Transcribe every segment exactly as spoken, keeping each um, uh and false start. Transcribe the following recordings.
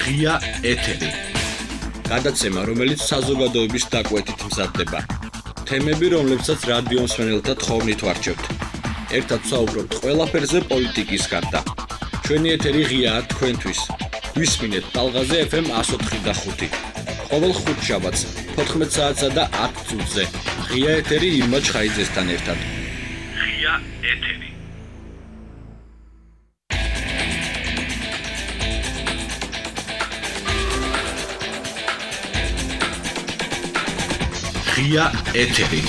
ღია ეთერი. გადაცემა, რომელიც საზოგადოების დაკვეთით მზადდება. თემები, რომლებსაც რადიო მსმენელთა თხოვნით ვარჩევთ. ერთად ვსაუბრობთ ყველაფერზე პოლიტიკის გარდა. ჩვენი ეთერი ღიაა თქვენთვის. ვისმინეთ ტალღაზე ეფ ემ one oh four point five. ყოველ ხუთშაბათს fourteen საათსა და ten წუთზე. ღია ეთერი ირმა ჩხაიძესთან ერთად. ღია ეთერი. ღია ეთერი.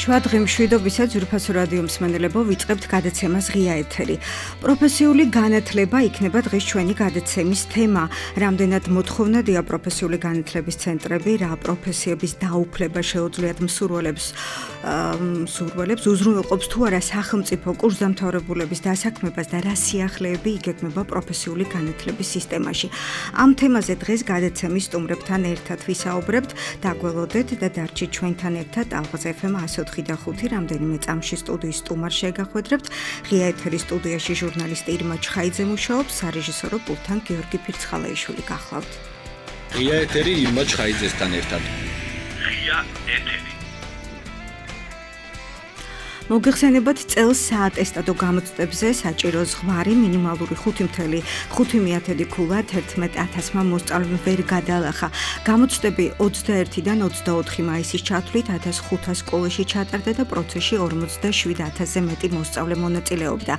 შვადღი მშვიდობისა ძვირფასო რადიო მსმენელებო, ვიწყებთ გადაცემას ღია ეთერი. პროფესიული განათლება იქნება დღის ჩვენი გადაცემის თემა. რამდენად მოთხოვნადია პროფესიული განათლების ცენტრები, რა პროფესიების დაუფლება შეუძლიათ მსურველებს, მსურველებს უზრუნველყოფს თუ არა სახელმწიფო კურსდამთავრებულების დასაქმებას და რა სიახლეები იგეგმება პროფესიული განათლების სისტემაში. ამ თემაზე დღეს გადაცემის სტუმრებთან ერთად ვისაუბრებთ, დაგველოდეთ და დარჩით ჩვენთან ერთად ტალღაზე ეფ ემ one oh four და ხუთი რამდენიმე წამში სტუდიის სტუმარს შეგახვედრებთ. ღია ეთერის სტუდიაში ჟურნალისტი ირმა ჩხაიძე მუშაობს, სარეჟისორო პულტთან გიორგი ფირცხალაიშვილი გახლავთ. ღია ეთერი ირმა ჩხაიძესთან ერთად. ღია ეთერი. მოგეხსენებათ წელს საატესტატო გამოცდებზე საჭირო ზღვარი მინიმალური ხუთი წუთი ხუთი ქულა თერთმეტ ათასმა მოსწავლემ ვერ გადალახა. გამოცდები ოცდაერთიდან ოცდაოთხი მაისის ჩათვლით ათას ხუთას სკოლაში ჩატარდა და პროცესში ორმოცდაშვიდ ათასზე მეტი მოსწავლე მონაწილეობდა.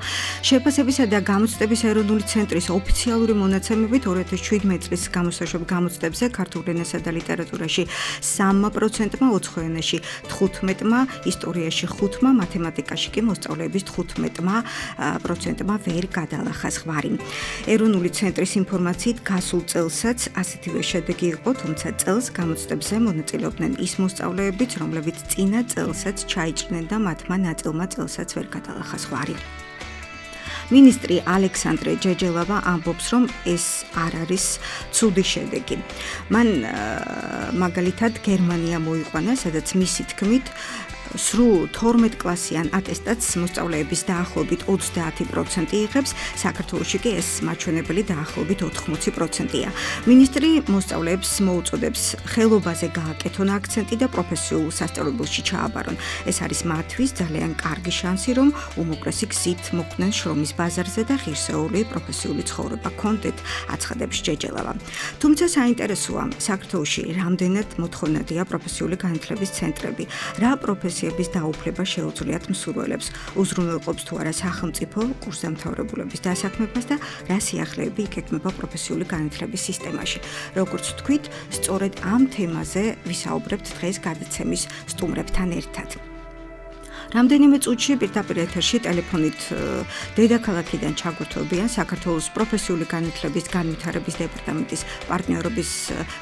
შეფასებისა და გამოცდების ეროვნული ცენტრის ოფიციალური მონაცემებით ორი ათას შვიდმეტი წლის გამოსაშვებ გამოცდებზე ქართულ ენასა და ლიტერატურაში სამმა პროცენტმა, ოცხო ენაში თხუთმეტმა, ისტორიაში ხუთმა, მათემატიკაში კი მოსწავლეების თხუთმეტმა პროცენტმა ვერ გადალახა ზღვარი. ეროვნული ცენტრის ინფორმაციით გასულ წელსაც ასეთივე შედეგი იყო, თუმცა წელს გამოცდებზე მონაწილეობდნენ ის მოსწავლეებიც, რომლებიც წინა წელსაც ჩაიჭრნენ და მათმა ნაწილმა წელსაც ვერ გადალახა ზღვარი. მინისტრი ალექსანდრე ჯეჯელავა ამბობს, რომ ეს არ არის ცუდი შედეგი. მან მაგალითად გერმანია მოიყვანა, სადაც მისი თქმით სრულ თორმეტ კლასიან ატესტატს მოსწავლეების დაახლოებით ოცდაათი პროცენტი იღებს, საქართველოში კი ეს მაჩვენებელი დაახლოებით ოთხმოცი პროცენტია. მინისტრი მოსწავლეებს მოუწოდებს ხელობაზე გააკეთონ აქცენტი და პროფესიულ სასწავლებელში ჩააბარონ. ეს არის მათთვის ძალიან კარგი შანსი, რომ უმოკლესი გზით მოხვდნენ შრომის ბაზარზე და ღირსეული პროფესიული ცხოვრება კონდეთ, აცხადებს ჯეჯელავა. თუმცა საინტერესოა, საქართველოში რამდენად მოთხოვნადია პროფესიული განათლების ცენტრები, რა პროფესია დაუფლება შეუძლიათ მსურველებს, უზრუნველყოფს თუ არა სახელმწიფო კურსდამთავრებულების დასაქმებას და რა სიახლეები იგეგმება პროფესიული განათლების სისტემაში. როგორც ვთქვით, სწორედ ამ თემაზე ვისაუბრებთ დღეს გადაცემის სტუმრებთან ერთად. რამდენიმე წუთში პირდაპირ ეთერში ტელეფონით დედაქალაქიდან ჩაგვერთვებიან საქართველოს პროფესიული განათლების განვითარების დეპარტამენტის პარტნიორობის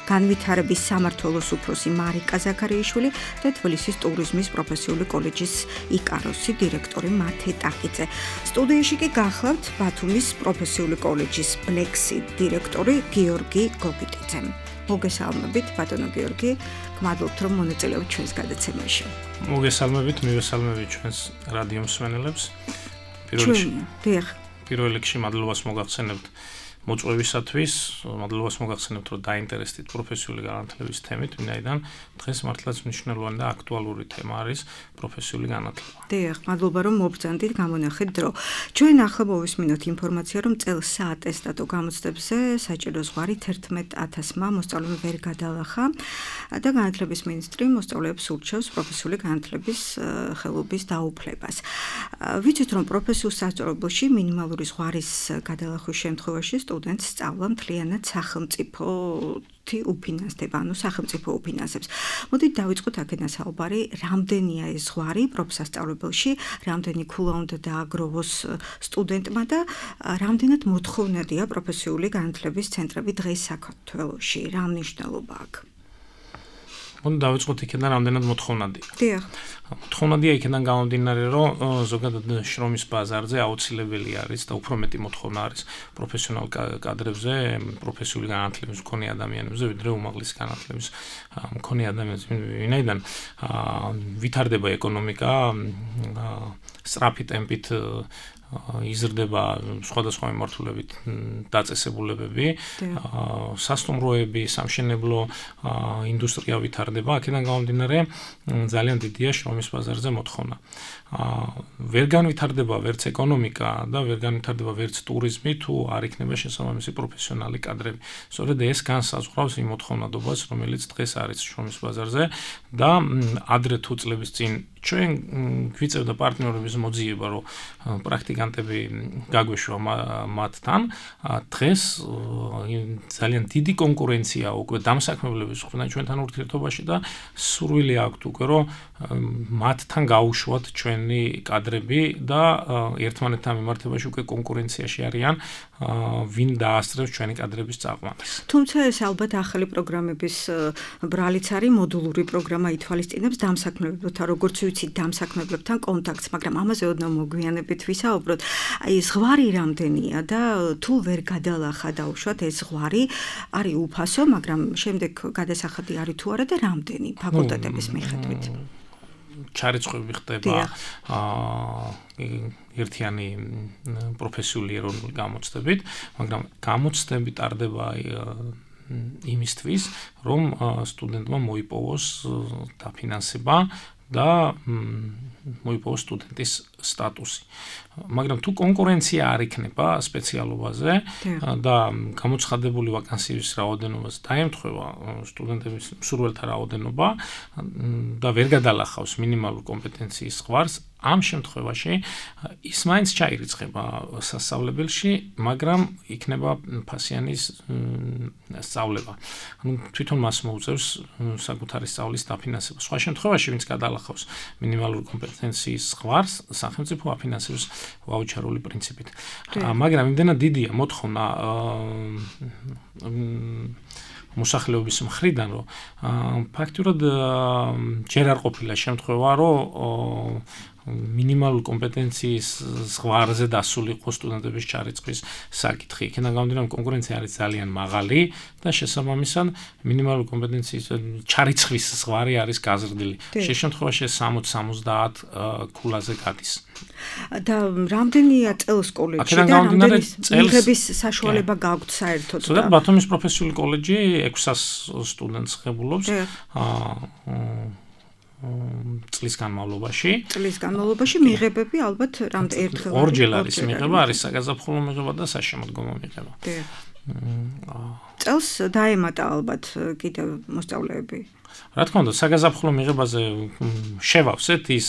განვითარების სამმართველოს უფროსი მარიკა ზაქარიაშვილი და თბილისის ტურიზმის პროფესიული კოლეჯის იკაროსი დირექტორი მათე ტაკიძე. სტუდიაში კი გახლავთ ბათუმის პროფესიული კოლეჯის ბლექსი დირექტორი გიორგი გოგიტიძე. მოგესალმებით, ბატონო გიორგი, გმადლობთ, რომ მონაწილეობთ ჩვენს გადაცემაში. მოგესალმებით, მივესალმებით ჩვენს რადიო მსმენელებს. პირველ რიგში მადლობას მოგახსენებთ მოწვევისათვის, მადლობას მოგახსენებთ, რომ დაინტერესდით პროფესიული განათლების თემით, ვინაიდან დღეს მართლაც მნიშვნელოვანი და აქტუალური თემა არის პროფესიული განათლება. დიახ, მადლობა რომ მობრძანდით, გამონახეთ დრო. ჩვენ ახლა მოვისმინოთ ინფორმაცია, რომ წელს საატესტატო გამოცდებზე საჭირო ზღვარი თერთმეტ ათასმა მოსწავლემ ვერ გადალახა და განათლების მინისტრი მოსწავლეებს ურჩევს პროფესიული განათლების ხელობის დაუფლებას. ვიცით, რომ პროფესიულ სასწავლებელში მინიმალური ზღვარის გადალახვის შემთხვევაში სტუდენტს სწავლა მთლიანად სახელმწიფო უფინანსდება, ანუ სახელმწიფო უფინანსებს. მოდით დავიწყოთ აქედან საუბარი, რამდენია ეს ზღვარი პროფსასწავლებელში, რამდენი ქულა უნდა დააგროვოს სტუდენტმა და რამდენად მოთხოვნადია პროფესიული განათლების ცენტრები დღეს საქართველოში, რა მნიშვნელობა აქვს? მოდით დავიწყოთ იქიდან რამდენად მოთხოვნადია. დიახ. მოთხოვნადია იქიდან გამომდინარე, რომ ზოგადად შრომის ბაზარზე აუცილებელი არის და უფრო მეტი მოთხოვნა არის პროფესიონალ კადრებზე, პროფესიული განათლების მქონე ადამიანებზე, ვიდრე უმაღლესი განათლების მქონე ადამიანებზე, ვინაიდან ვითარდება ეკონომიკა სწრაფი ტემპით იზრდება სხვადასხვა მიმართულებით დაწესებულებები, სასტუმროები, სამშენებლო ინდუსტრია ვითარდება, აქედან გამომდინარე ძალიან დიდია შრომის ბაზარზე მოთხოვნა. ვერ განვითარდება ვერც ეკონომიკა და ვერ განვითარდება ვერც ტურიზმი, თუ არ იქნება შესაბამისი პროფესიონალი კადრები. სწორედ ეს განსაზღვრავს იმ მოთხოვნადობას, რომელიც დღეს არის შრომის ბაზარზე და ადრე თუ წლების წინ ჩვენ გვიწევდა პარტნიორების მოძიება, რომ პრაქტიკანტები გაგვეშვა მათთან, დღეს ძალიან დიდი კონკურენცია უკვე დამსაქმებლების მხრიდან ჩვენთან ურთიერთობაში და სურვილი აქვთ უკვე, რომ მათთან გაუშვათ ჩვენი კადრები და ერთმანეთთან მიმართებაში უკვე კონკურენციაში არიან, ვინ დაასწრებს ჩვენი კადრების წაყვანას. თუმცა ეს ალბათ ახალი პროგრამების ბრალიც არის, მოდულური პროგრამა ითვალისწინებს დამსაქმებლებთან, როგორც ვიცით, დამსაქმებლებთან კონტაქტს, მაგრამ ამაზე ოდნავ მოგვიანებით ვისაუბროთ. აი ზღვარი რამდენია და თუ ვერ გადალახა დაუშვათ ეს ზღვარი არის უფასო, მაგრამ შემდეგ გადასახადი არის თუ არა და რამდენი ფაკულტეტების მიხედვით. ჩარიცხვები ხდება ერთიანი პროფესიული ეროვნული გამოცდებით, მაგრამ გამოცდები ტარდება იმისთვის, რომ სტუდენტმა მოიპოვოს დაფინანსება და მოიპოვოს სტუდენტის სტატუსი. მაგრამ თუ კონკურენცია არ იქნება სპეციალობაზე და გამოცხადებული ვაკანსიების რაოდენობას დაემთხვევა სტუდენტების მსურველთა რაოდენობა და ვერ გადალახავს მინიმალურ კომპეტენციის ზღვარს, ამ შემთხვევაში ის მაინც ჩაირიცხება სასწავლებელში, მაგრამ იქნება ფასიანის სწავლება. ანუ თვითონ მას მოუწევს საკუთარი სწავლის დაფინანსება. სხვა შემთხვევაში, ვინც გადალახავს მინიმალურ კომპეტენციის ზღვარს, სახელმწიფო აფინანსებს ვაუჩარული პრინციპით. მაგრამ იმდენად დიდია მოთხოვნა მოსახლეობის მხრიდან, რომ ფაქტურად ჯერ არ ყოფილა შემთხვევა, რომ მინიმალურ კომპეტენციის ზღვარზე დასულიყო სტუდენტების ჩარიცხვის საკითხი. იქიდან გამომდინარე, კონკურენცია არის ძალიან მაღალი და შესაბამისად მინიმალურ კომპეტენციის ჩარიცხვის ზღვარი არის გაზრდილი. შე შემთხვევაში სამოცი სამოცდაათ ქულაზე გადის. და რამდენია წელს კოლეჯში და რამდენი მიღების საშუალება გაქვთ საერთოდ? ზოგადად ბათუმის პროფესიული კოლეჯი ექვსას სტუდენტს ღებულობს. წლის განმავლობაში. წლის განმავლობაში მიღებები ალბათ რამდენ ერთხელ ორჯერ არის მიღება, არის საგაზაფხულო მიღება და საშემოდგომო მიღება. წელს დაემატა ალბათ კიდევ მოსწავლეები. რა თქმა უნდა, საგაზაფხულო მიღებაზე შევავსეთ ის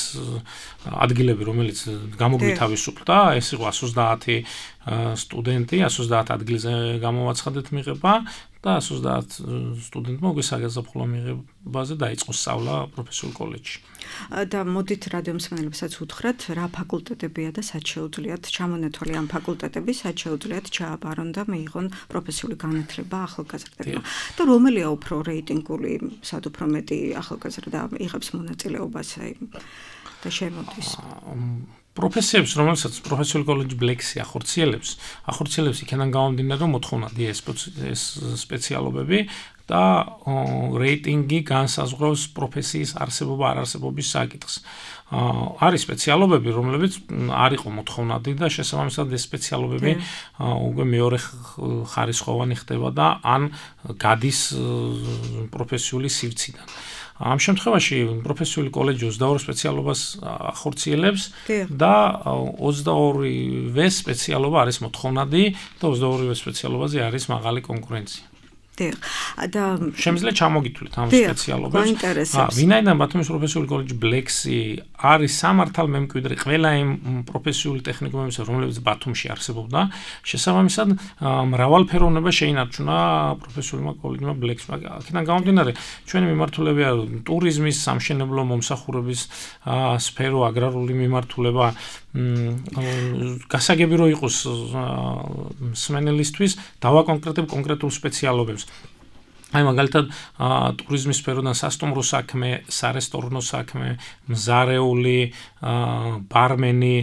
ადგილები, რომელიც გამოგვითავისუფლდა, ეს იყო ას ოცდაათი სტუდენტი, ას ოცდაათ ადგილზე გამოვაცხადეთ მიღება და ას ოცდაათ სტუდენტმა უკვე საგაზაფხულო მიღებაზე დაიწყო სწავლა პროფესიულ კოლეჯში. და მოდით რადიო მსმენელებსაც უთხრათ, რა ფაკულტეტებია და სად შეუძლიათ ჩამონათვალი ამ ფაკულტეტების, სად შეუძლიათ ჩააბარონ და მიიღონ პროფესიული განათლება ახალგაზრდებმა. და რომელია უფრო რეიტინგული, სად უფრო მეტი ახალგაზრდა იღებს მონაწილეობას და შემოდის? პროფესიებს, რომელსაც პროფესიული კოლეჯი ბლექსი ახორციელებს, ახორციელებს იქიდან გამომდინარე, რომ მოთხოვნადია ეს სპეციალობები და რეიტინგი განსაზღვრავს პროფესიის არსებობა არ არსებობის საკითხს. არის სპეციალობები, რომლებიც არ იყო მოთხოვნადი და შესაბამისად ეს სპეციალობები უკვე მეორე ხარისხოვანი ხდება და ან გადის პროფესიული სივრციდან. ამ შემთხვევაში პროფესიული კოლეჯი ოცდაორ სპეციალობას ახორციელებს და ოცდაორივე სპეციალობა არის მოთხოვნადი და ოცდაორივე სპეციალობაზე არის მაღალი კონკურენცია. დიახ. და შემიძლია ჩამოგითვლით ამ სპეციალობებს. ვინაიდან ბათუმის პროფესიული კოლეჯი ბლექსი არის სამართალ მემკვიდრე ყველა იმ პროფესიული ტექნიკუმებისა, რომლებიც ბათუმში არსებობდა, შესაბამისად მრავალფეროვნება შეინარჩუნა პროფესიულმა კოლეჯმა ბლექსმა. აქედან გამომდინარე, ჩვენი მიმართულებია ტურიზმის, სამშენებლო მომსახურების სფერო, აგრარული მიმართულება, გასაგები რო იყოს მსმენელისთვის, დავაკონკრეტებ კონკრეტულ სპეციალობებს. აი მაგალითად ტურიზმის სფეროდან სასტუმრო საქმე, სარესტორნო საქმე, მზარეული, ბარმენი,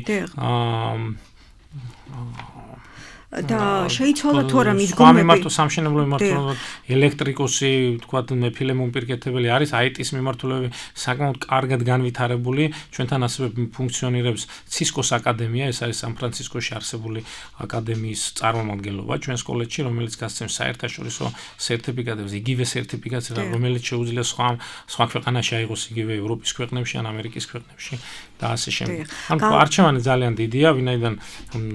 და შეიცვალა თუ არა მიდგომები. სხვა მიმართულებით სამშენებლო მიმართულებით ელექტრიკოსი, თქვათ მეფილე მომპირკეთებელი არის, აი ტის მიმართულები საკმაოდ კარგად განვითარებული, ჩვენთან ასევე ფუნქციონირებს Cisco-ს აკადემია, ეს არის სან-ფრანცისკოში არსებული აკადემიის წარმომადგენლობა ჩვენს კოლეჯში, რომელიც გასცემს საერთაშორისო სერტიფიკატებს, იგივე სერტიფიკატს, რომელიც შეუძლია სხვა სხვა ქვეყანაში აიღოს იგივე ევროპის ქვეყნებში ან ამერიკის ქვეყნებში და ასე შემდეგ. ანუ არჩევანი ძალიან დიდია, ვინაიდან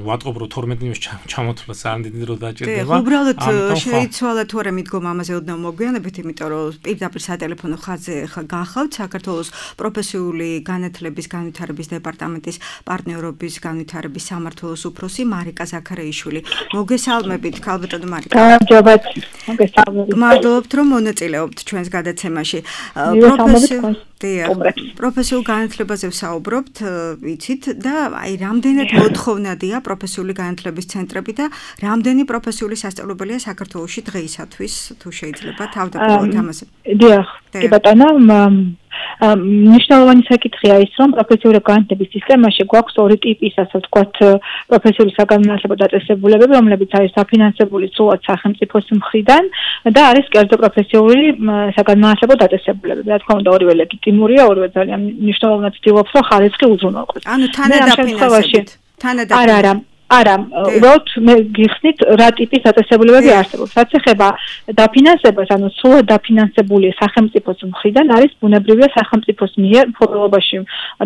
ვატყობ რომ თორმეტ ნიმუშს ჩამოთვლა ძალიან დიდი დრო დაჭირდება. დიახ, უბრალოდ შეიცვალა თუ არა მიდგომა ამაზე ოდნავ მოგვიანებით, იმიტომ რომ პირდაპირ სატელეფონო ხაზზე ხა გახავთ საქართველოს პროფესიული განათლების განვითარების დეპარტამენტის პარტნიორობის განვითარების სამმართველოს უფროსი მარიკა ზაქარეიშვილი. მოგესალმებით, ქალბატონო მარიკა. გამარჯობათ. მოგესალმებით. მადლობთ რომ მონაწილეობთ ჩვენს გადაცემაში. პროფესიულ პროფესიულ განათლებაზე ვსაუბრობთ, ვიცით და აი რამდენად მოთხოვნადია პროფესიული განათლების ცენტრები და რამდენი პროფესიული სასწავლებელია საქართველოში დღეისათვის, თუ შეიძლება თავდაპირველად ამაზე. დიახ, კი ბატონო, მნიშვნელოვანი საკითხია ის, რომ პროფესიული განათლების სისტემაში გვაქვს ორი ტიპის, ასე ვთქვათ, პროფესიული საგანმანათლებლო დაწესებულებები, რომლებიც არის დაფინანსებული სრულად სახელმწიფოს მხრიდან და არის კერძო პროფესიული საგანმანათლებლო დაწესებულებები. რა თქმა უნდა, ორივე ლეგიტიმურია, ორივე ძალიან მნიშვნელოვნად ცდილობს, რომ ხარისხი უზრუნველყოს. ანუ თანადაფინანსებით. თანადაფინანსებით. არა, არა. არა, უბრალოდ მე გიხსნით რა ტიპის დაწესებულებები არსებობს. რაც ეხება დაფინანსებას, ანუ სრულად დაფინანსებული სახელმწიფოს მხრიდან არის ბუნებრივია სახელმწიფოს მიერ მფლობელობაში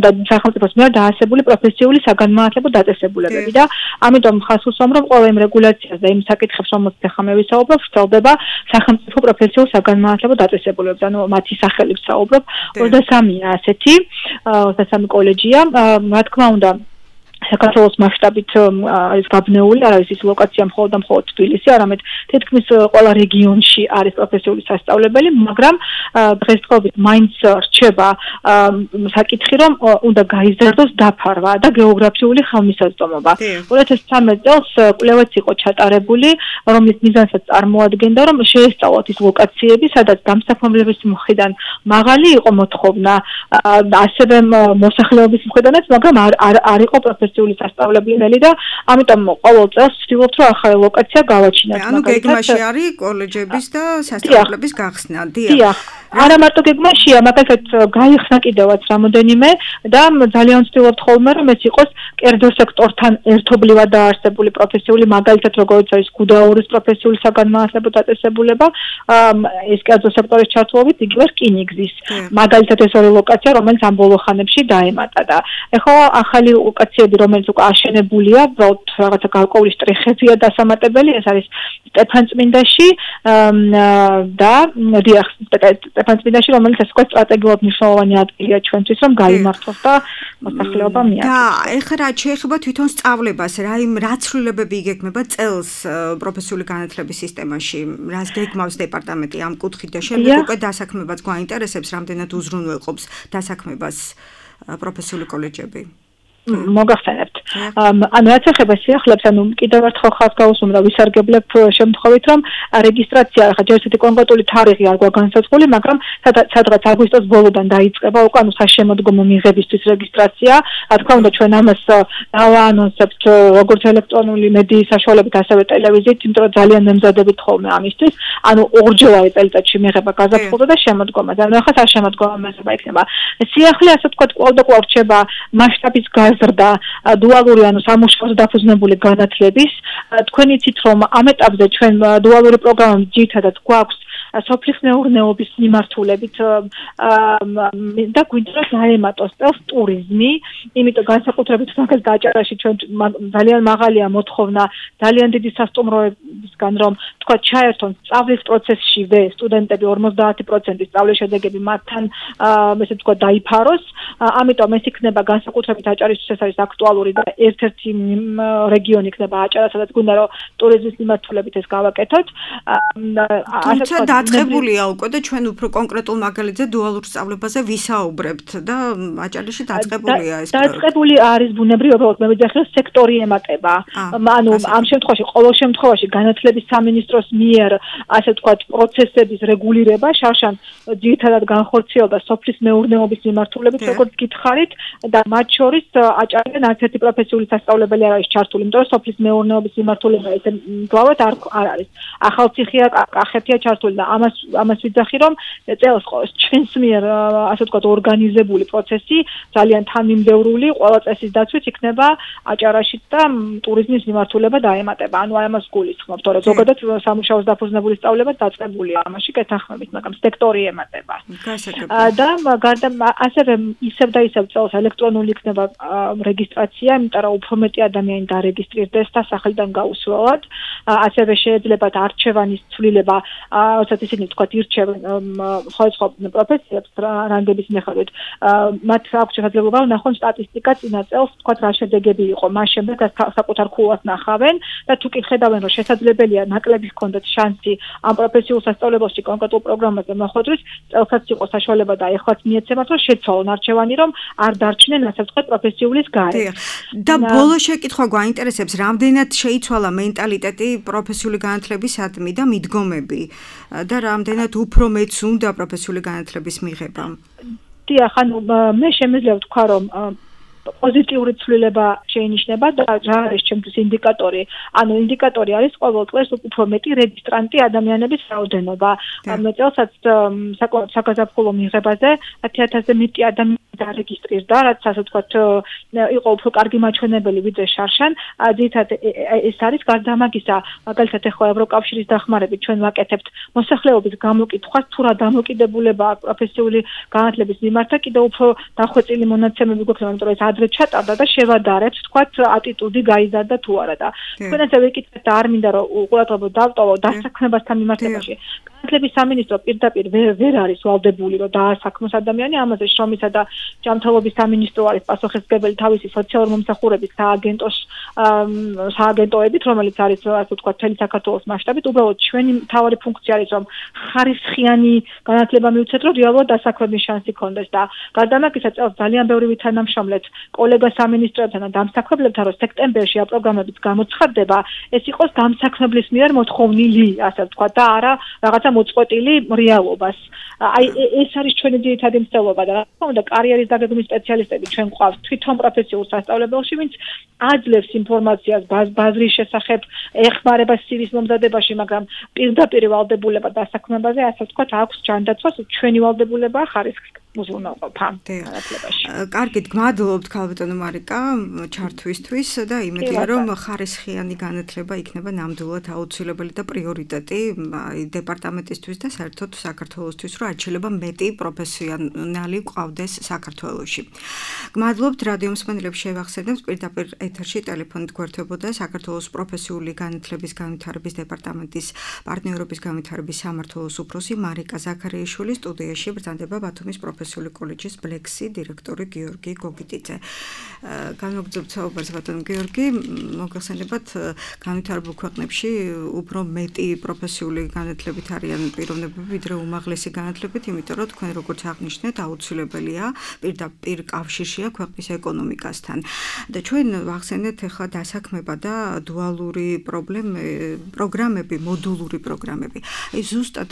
და სახელმწიფოს მიერ დაარსებული პროფესიული საგანმანათლებლო დაწესებულებები და ამიტომ ხას უსვამ, რომ ყველა იმ რეგულაციას და იმ საკითხებს, რომელზეც ახლა მე ვისაუბრებ, ვრცელდება სახელმწიფო პროფესიულ საგანმანათლებლო დაწესებულებებზე. ანუ მათი სახელი ვსაუბრობ, ოცდასამია ასეთი, ოცდასამი კოლეჯია, რა თქმა უნდა საქართველოს მასშტაბით არის გაბნეული, არის ის ლოკაცია მხოლოდ და მხოლოდ თბილისი, არამედ თითქმის ყველა რეგიონში არის პროფესიული სასწავლებელი, მაგრამ დღესდღეობით მაინც რჩება საკითხი, რომ უნდა გაიზარდოს დაფარვა და გეოგრაფიული ხელმისაწვდომობა. ორი ათას ცხრამეტ წელს კვლევაც იყო ჩატარებული, რომლის მიზანსაც წარმოადგენდა, რომ შეესწავლოთ ის ლოკაციები, სადაც დამსაქმებლების მხრიდან მაღალი იყო მოთხოვნა, ასევე მოსახლეობის მხრიდანაც, მაგრამ არ იყო პროფესიული სასწავლებელი და ამიტომ ყოველ წელს ვცდილობთ, რომ ახალი ლოკაცია გავაჩინოთ. ანუ გეგმაში არის კოლეჯების და სასწავლებლების გახსნა. დიახ. არა მარტო გეგმაშია, მაგალითად გაიხსნა კიდევაც რამოდენიმე და ძალიან ვცდილობთ ხოლმე, რომ ეს იყოს კერძო სექტორთან ერთობლივად დაარსებული პროფესიული, მაგალითად როგორც არის გუდაურის პროფესიული საგანმანათლებლო დაწესებულება, ეს კერძო სექტორის ჩართულობით იგივე რკინიგზის. მაგალითად ეს ორი ლოკაცია, რომელიც ამ ბოლო ხანებში დაემატა და ეხლა ახალი ლოკაციები, რომელიც უკვე აშენებულია, უბრალოდ რაღაცა გარკვეული შტრიხებია დასამატებელი, ეს არის სტეფანწმინდაში და დიახ, სტეფანწმინდაში, რომელიც ასე ვთქვათ, სტრატეგიულად მნიშვნელოვანი ადგილია ჩვენთვის, რომ გაიმართოს და მოსახლეობა მიაღწიოს. და ეხლა რაც შეეხება თვითონ სწავლებას, რა იმ რა ცვლილებები იგეგმება წელს პროფესიული განათლების სისტემაში, რას გეგმავს დეპარტამენტი ამ კუთხით და შემდეგ უკვე დასაქმებაც გვაინტერესებს, რამდენად უზრუნველყოფს დასაქმებას პროფესიული კოლეჯები. მოგახსენებთ. ანუ რაც ეხება სიახლეებს, ანუ კიდევ ერთხელ ხაზს გავუსვამ და ვისარგებლებ შემთხვევით, რომ რეგისტრაცია ახლა ჯერ ისეთი კონკრეტული თარიღი არ გვაქვს განსაზღვრული, მაგრამ სადღაც აგვისტოს ბოლოდან დაიწყება უკვე ანუ საშემოდგომო მიღებისთვის რეგისტრაცია. რა თქმა უნდა, ჩვენ ამას დავაანონსებთ როგორც ელექტრონული მედიის საშუალებით, ასევე ტელევიზიით, იმიტომ რომ ძალიან მემზადებით ხოლმე ამისთვის. ანუ ორჯერადი წელიწადში მიღება გაზაფხულზე და შემოდგომა. ანუ ახლა საშემოდგომო მიღება იქნება. სიახლე ასე ვთქვათ, კვლავ და კვლავ რჩება მასშტაბის გაზრდა დუალური ანუ სამუშაოზე დაფუძნებული განათლების. თქვენ იცით, რომ ამ ეტაპზე ჩვენ დუალური პროგრამა ძირითადად გვაქვს სოფლის მეურნეობის მიმართულებით და გვინდა რომ დაემატოს წელს ტურიზმი, იმიტომ განსაკუთრებით მაგას დაჭერაში ჩვენ ძალიან მაღალია მოთხოვნა ძალიან დიდი სასტუმროებისგან, რომ თქვა ჩაერთონ სწავლის პროცესშივე სტუდენტები ორმოცდაათი პროცენტი სწავლის შედეგები მათთან ესე თქვა დაიფაროს, ამიტომ ეს იქნება განსაკუთრებით აჭარისთვის ეს არის აქტუალური და ერთ-ერთი რეგიონი იქნება აჭარა, სადაც გუნდა რომ ტურიზმის მიმართულებით ეს გავაკეთოთ. თუმცა დაწყებულია უკვე და ჩვენ უფრო კონკრეტულ მაგალითზე დუალურ სწავლებაზე ვისაუბრებთ და აჭარაში დაწყებულია ეს პროექტი. დაწყებული არის ბუნებრივი, უბრალოდ მე ვიძახი რომ სექტორი ემატება. ანუ ამ შემთხვევაში ყოველ შემთხვევაში განათლების სამინისტროს მიერ ასე ვთქვათ პროცესების რეგულირება შარშან ძირითადად განხორციელდა სოფლის მეურნეობის მიმართულებით, როგორც გითხარით და მათ შორის აჭარიდან არც ერთი პროფესიული სასწავლებელი არ არის ჩართული, იმიტომ რომ სოფლის მეურნეობის მიმართულება ესე მგლავად არ არ არის. ახალციხეა, კახეთია ჩართული და ამას ამას ვიძახი რომ წელს ჩვენს მიერ ასე ვთქვათ ორგანიზებული პროცესი ძალიან თანმიმდევრული ყველა წესის დაცვით იქნება აჭარაში და ტურიზმის მიმართულება დაემატება. ანუ ამას გულისხმობ, თორე ზოგადად სამუშაოს დაფუძნებული სწავლება დაწყებულია ამაში კეთახმებით, მაგრამ სექტორი ემატება. და გარდა ასევე ისევ და ისევ წელს ელექტრონული იქნება რეგისტრაცია, იმიტომ რომ უფრო მეტი ადამიანი დარეგისტრირდეს და სახელიდან გაუსვლელად. ასევე შეეძლებათ არჩევანის ცვლილება, როდესაც ისინი თქვათ ირჩევენ სხვადასხვა პროფესიებს რანგების მიხედვით. მათ აქვს შესაძლებლობა ნახონ სტატისტიკა წინა წელს, თქვათ რა შედეგები იყო, მას შემდეგ საკუთარ ქულას ნახავენ და თუ კი ხედავენ რომ შესაძლებელია ნაკლები ჰქონდეთ შანსი ამ პროფესიულ სასწავლებელში კონკრეტულ პროგრამაზე მოხვედრვის, წელსაც იყო საშუალება და ეხლაც მიეცემათ რომ შეცვალონ არჩევანი, რომ არ დარჩნენ ასე ვთქვათ პროფესიულის გარეთ. და ბოლო შეკითხვა გვაინტერესებს, რამდენად შეიცვალა მენტალიტეტი პროფესიული განათლებისადმი და მიდგომები და რამდენად უფრო მეც უნდა პროფესიული განათლების მიღება? დიახ, ანუ მე შემიძლია ვთქვა რომ პოზიტიური ცვლილება შეინიშნება და რა არის ჩემთვის ინდიკატორი? ანუ ინდიკატორი არის ყოველ წელს უფრო მეტი რეგისტრანტი ადამიანების რაოდენობა. მე წელსაც საგაზაფხულო მიღებაზე ათი ათასზე მეტი ადამიანი დარეგისტრირდა, რაც ასე ვთქვათ იყო უფრო კარგი მაჩვენებელი ვიდრე შარშან. ძირითადად ეს არის გარდა ამაგისა, მაგალითად ახლა ევროკავშირის დახმარებით ჩვენ ვაკეთებთ მოსახლეობის გამოკითხვას, თუ რა დამოკიდებულება აქვს პროფესიული განათლების მიმართ და კიდევ უფრო დახვეწილი მონაცემები გვექნება, იმიტომ რომ ეს ადრე ჩატარდა და შევადარებთ, თქვათ, ატიტუდი გაიზარდა თუ არა და თქვენ ასე ვიკითხეთ და არ მინდა რომ ყურადღება დავტოვო დასაქმებასთან მიმართებაში. განათლების სამინისტრო პირდაპირ ვერ არის ვალდებული რომ დაასაქმოს ადამიანი, ამაზე შრომისა და ჯანმრთელობის სამინისტრო არის პასუხისმგებელი თავისი სოციალური მომსახურების სააგენტოს სააგენტოებით, რომელიც არის ასე ვთქვათ მთელი საქართველოს მასშტაბით. უბრალოდ ჩვენი მთავარი ფუნქცია არის რომ ხარისხიანი განათლება მივცეთ, რომ რეალურად დასაქმების შანსი ქონდეს და გარდა ამისა წელს ძალიან ბევრი ვითანამშრომლეთ კოლეგა სამინისტროებთან და დამსაქმებლებთან, რომ სექტემბერში ამ პროგრამებით გამოცხადდება, ეს იყოს დამსაქმებლის მიერ მოთხოვნილი, ასე ვთქვათ, და არა რაღაცა მოწყვეტილი რეალობას. აი ეს არის ჩვენი ძირითადი მცდელობა და რა თქმა უნდა კარიერის დაგეგმვის სპეციალისტები ჩვენ გვყავთ თვითონ პროფესიულ სასწავლებელში, ვინც აძლევს ინფორმაციას ბაზრის შესახებ, ეხმარება სივის მომზადებაში, მაგრამ პირდაპირ ვალდებულება დასაქმებაზე, ასე ვთქვათ, აქვს ჯანდაცვას, ჩვენი ვალდებულება ხარისხის უზრუნველყოფა განათლებაში. კარგით, გმადლობთ ქალბატონო მარიკა ჩართვისთვის და იმედია რომ ხარისხიანი განათლება იქნება ნამდვილად აუცილებელი და პრიორიტეტი დეპარტამენტისთვის და საერთოდ საქართველოსთვის, რომ არჩილება მეტი პროფესიონალი ყავდეს საქართველოში. გმადლობთ რადიო მსმენელებს, შევახსენებთ პირდაპირ ეთერში ტელეფონით გვერდებოდა საქართველოს პროფესიული განათლების განვითარების დეპარტამენტის პარტნიორობის განვითარების სამმართველოს უფროსი მარიკა ზაქარიაშვილი, სტუდიაში ბრძანდება ბათუმის პროფესიული კოლეჯის ბლექსი დირექტორი გიორგი გოგიტიძე. განმოგრძობთ საუბარს ბატონ გიორგი, მოგახსენებათ განვითარებულ ქვეყნებში უფრო მეტი პროფესიული განათლებით არიან პიროვნებები ვიდრე უმაღლესი განათლებით, იმიტომ რომ თქვენ როგორც აღნიშნეთ, აუცილებელია პირდაპირ კავშირშია ქვეყნის ეკონომიკასთან. და ჩვენ ვახსენეთ ახლა დასაქმება და დუალური პროგრამები, მოდულური პროგრამები. აი ზუსტად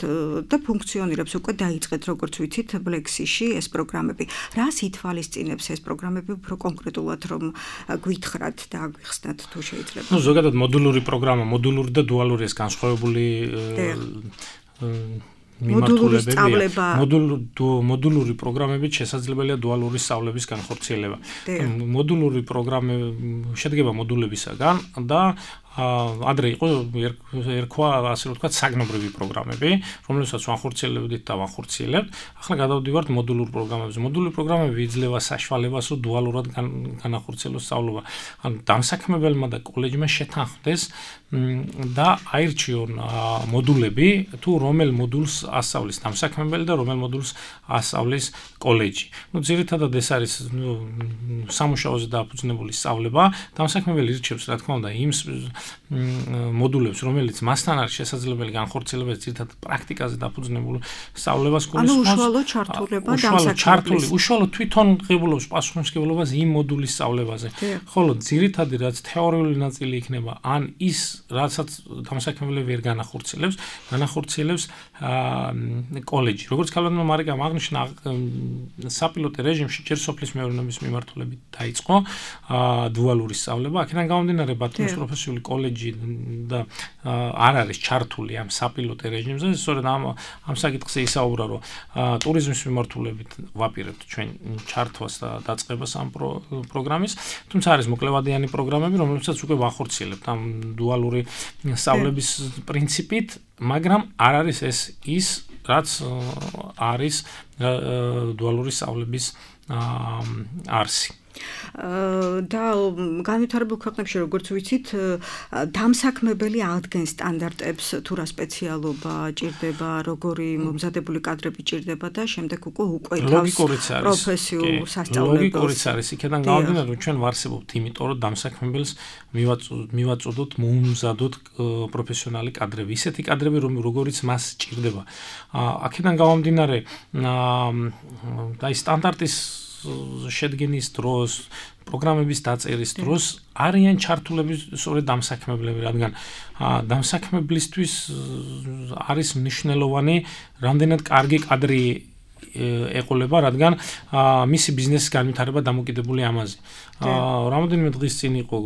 და ფუნქციონირებს უკვე დაიწყეთ როგორც ვიცით ბლექსიში ეს პროგრამები. რას ითვალისწინებს ეს პროგრამები უფრო კონკრეტულად რომ გვითხრათ და აგვიხსნათ თუ შეიძლება? ნუ ზოგადად მოდულური პროგრამა, მოდულური და დუალური ეს განსხვავებული მოდულური სწავლება მოდულური პროგრამებით შესაძლებელია დუალური სწავლების განხორციელება. მოდულური პროგრამები შედგება მოდულებისაგან და ადრე იყო ერქვა ასე ვთქვათ საგნობრივი პროგრამები, რომლებსაც ვახორციელებდით და ვახორციელებთ. ახლა გადავდივართ მოდულურ პროგრამებზე. მოდულური პროგრამები იძლევა საშუალებას, რომ დუალურად განახორციელოს სწავლობა. ან დამსაქმებელმა და კოლეჯმა შეთანხმდეს და აირჩიონ მოდულები, თუ რომელ მოდულს ასწავლის დამსაქმებელი და რომელ მოდულს ასწავლის კოლეჯი. ნუ ძირითადად ეს არის სამუშაოზე დაფუძნებული სწავლება. დამსაქმებელი ირჩევს, რა თქმა უნდა, იმ მოდულებს, რომელიც მასთან არის შესაძლებელი განხორციელება ძირითადად პრაქტიკაზე დაფუძნებულ სწავლებას გულისხმობს. ანუ უშუალო ჩართულება დამსაქმებლის. უშუალო თვითონ ღებულობს პასუხისმგებლობას იმ მოდულის სწავლებაზე. ხოლო ძირითადი რაც თეორიული ნაწილი იქნება, ან ის რასაც დამსაქმებელი ვერ განახორციელებს, განახორციელებს კოლეჯი. როგორც ქალბატონმა მარიკამ აღნიშნა, საპილოტო რეჟიმში ჯერ სოფლის მეურნეობის მიმართულებით დაიწყო დუალური სწავლება. აქედან გამომდინარე, ბათუმის პროფესიული კოლეჯი და არ არის ჩართული ამ საპილოტო რეჟიმზე. სწორედ ამ ამ საკითხზე ისაუბრა, რომ ტურიზმის მიმართულებით ვაპირებთ ჩვენ ჩართვას და დაწყებას ამ პროგრამის. თუმცა არის მოკლევადიანი პროგრამები, რომლებსაც უკვე ვახორციელებთ ამ დუალური სწავლების პრინციპით, მაგრამ არ არის ეს ის, რაც არის დუალური სწავლების არსი. და განვითარებულ ქვეყნებში, როგორც ვიცით, დამსაქმებელი ადგენს სტანდარტებს, თუ რა სპეციალობა ჭირდება, როგორი მომზადებული კადრები ჭირდება და შემდეგ უკვე უკვეთავს პროფესიულ სასწავლებელს. ლოგიკურიც არის, იქიდან გამომდინარე, რომ ჩვენ ვარსებობთ, იმიტომ რომ დამსაქმებელს მივაწოდოთ, მომზადოთ პროფესიონალი კადრები, ისეთი კადრები, როგორიც მას ჭირდება. აქედან გამომდინარე, და ის სტანდარტის შედგენის დროს, პროგრამების დაწერის დროს არიან ჩართულები სწორედ დამსაქმებლები, რადგან დამსაქმებლისთვის არის მნიშვნელოვანი, რამდენად კარგი კადრი ეყოლება, რადგან მისი ბიზნესის განვითარება დამოკიდებული ამაზე. რამოდენიმე დღის წინ იყო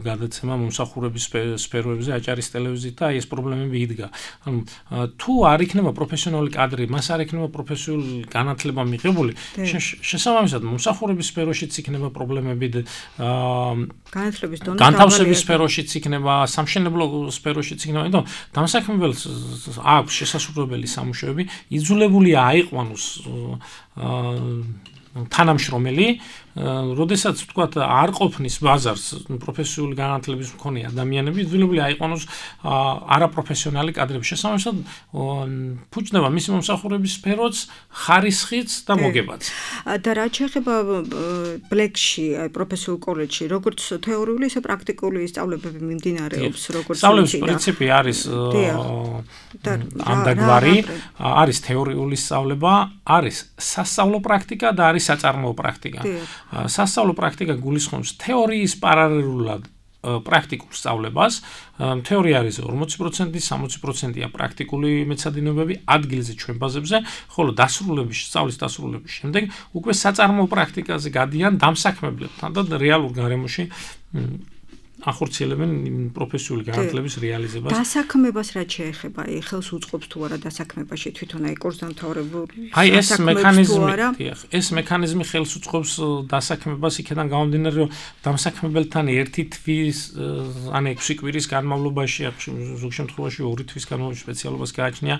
გადაცემა მომსახურების სფეროებზე აჭარის ტელევიზიით და ეს პრობლემები იდგა. ანუ თუ არ იქნება პროფესიონალი კადრი, მას არ იქნება პროფესიული განათლება მიღებული, შესაბამისად მომსახურების სფეროშიც იქნება პრობლემები, განათლების დონე, განთავსების სფეროშიც იქნება, სამშენებლო სფეროშიც იქნება, იმიტომ დამსაქმებელს აქვს შესაძლებელი სამუშაოები, იძულებულია აიყვანოს თანამშრომელი, როდესაც ვთქვათ არ ყოფნის ბაზარს პროფესიული განათლების მქონე ადამიანები, იძულებული აიყვანოს არაპროფესიონალი კადრები. შესაბამისად, ფუჭდება მისი მომსახურების სფეროც, ხარისხიც და მოგებაც. და რაც შეეხება ბლეკში, აი პროფესიულ კოლეჯში, როგორც თეორიული, ისე პრაქტიკული სწავლებები მიმდინარეობს, როგორც სწავლების პრინციპი არის ამდაგვარი, არის თეორიული სწავლება, არის სასწავლო პრაქტიკა და არის საწარმოო პრაქტიკა. სასწავლო პრაქტიკა გულისხმობს თეორიის პარალელურად პრაქტიკულ სწავლებას. თეორია არის ორმოცი პროცენტი, სამოცი პროცენტია პრაქტიკული მეცადინეობები ადგილზე ჩვენ ბაზებზე, ხოლო დასრულების, სწავლის დასრულების შემდეგ უკვე საწარმოო პრაქტიკაზე გადიან დამსაქმებლებთან და რეალურ გარემოში ახორციელებენ პროფესიული განათლების რეალიზებას. დასაქმებას რაც შეეხება, აი ხელს უწყობს თუ არა დასაქმებაში თვითონ აი კურსდამთავრებული. აი ეს მექანიზმი, დიახ, ეს მექანიზმი ხელს უწყობს დასაქმებას, იქიდან გამომდინარე, რომ დამსაქმებელთან ერთი თვის, ან ექვსი კვირის განმავლობაში, ზოგ შემთხვევაში ორი თვის განმავლობაში სპეციალობას გააჩნია,